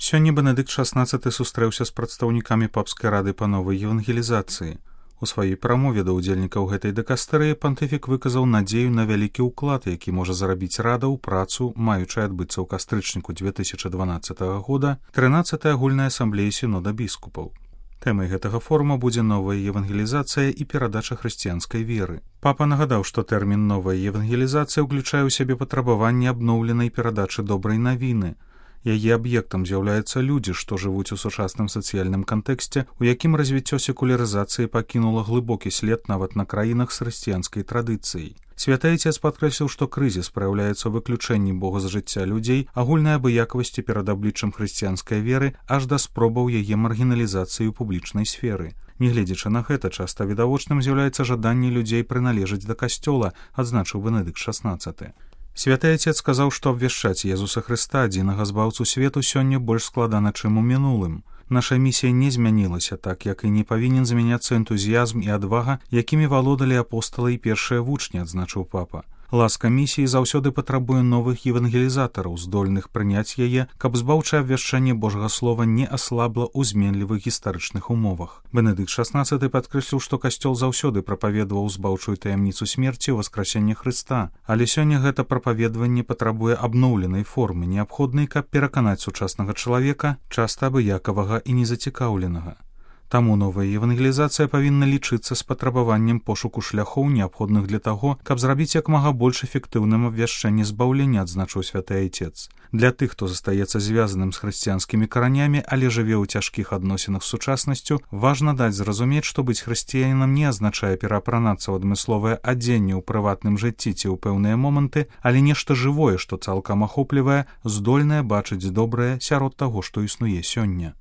Сёння Бенедыкт XVI сустрэўся з прадстаўнікамі папскай рады па новай евангелізацыі. У сваёй прамове да ўдзельнікаў гэтай дыкастэрыі пантыфік выказаў надзею на вялікі ўклад, які можа зарабіць рада ў працу, маючай адбыцца ў кастрычніку 2012 года 13-й агульнай асамблеі сінода біскупаў. Тэмай гэтага форума будзе новая евангелізацыя і перадача хрысціянскай веры. Папа нагадаў, што тэрмін «новая евангелізацыя» ўключае ў сябе патрабаванне абноўленай перадачы добрай навіны. Яе аб'ектам з'яўляюцца людзі, што жывуць у сучасным сацыяльным кантэксце, у якім развіццё секулярызацыі пакінула глыбокі след нават на краінах з хрысціянскай традыцыяй. Святы Айцец падкрэсліў, што крызіс праяўляецца ў выключэнні Бога з жыцця людзей, агульнай абыякавасці перад абліччам хрысціянскай веры аж да спробаў яе маргіналізацыі ў публічнай сферы. Нягледзячы на гэта, часта відавочным з'яўляецца жаданне людзей прыналежаць да касцёла, адзначыў Бенедыкт XVI. Святы Айцец сказаў, што абвяшчаць Езуса Хрыста, адзінага збаўцу свету, сёння больш складана, чым у мінулым. Наша місія не змянілася, так як і не павінен змяняцца энтузіязм і адвага, якімі валодалі апосталы і першыя вучні, адзначыў папа. Ласка місіі заўсёды патрабуе новых евангелізатараў, здольных прыняць яе, каб збаўчае абвяшчанне Божага слова не аслабла ў зменлівых гістарычных умовах. Бенедыкт XVI падкрэсліў, што касцёл заўсёды прапаведаваў збаўчую таямніцу смерці ў васкрасенне Хрыста, але сёння гэта прапаведаванне патрабуе абноўленай формы, неабходнай, каб пераканаць сучаснага чалавека, часта абыякавага і незацікаўленага. Таму новая евангелізацыя павінна лічыцца з патрабаваннем пошуку шляхоў, неабходных для таго, каб зрабіць як мага больш эфектыўным абвяшчэнне збаўлення, адзначыў святы Айцец. Для тых, хто застаецца звязаным з хрысціянскімі каранямі, але жыве ў цяжкіх адносінах з сучаснасцю, важна даць зразумець, што быць хрысціянінам не азначае пераапранацца ў адмысловае адзенне ў прыватным жыцці ці ў пэўныя моманты, але нешта жывое, што цалкам ахоплівае, здольнае бачыць добрае сярод таго, што існуе сёння.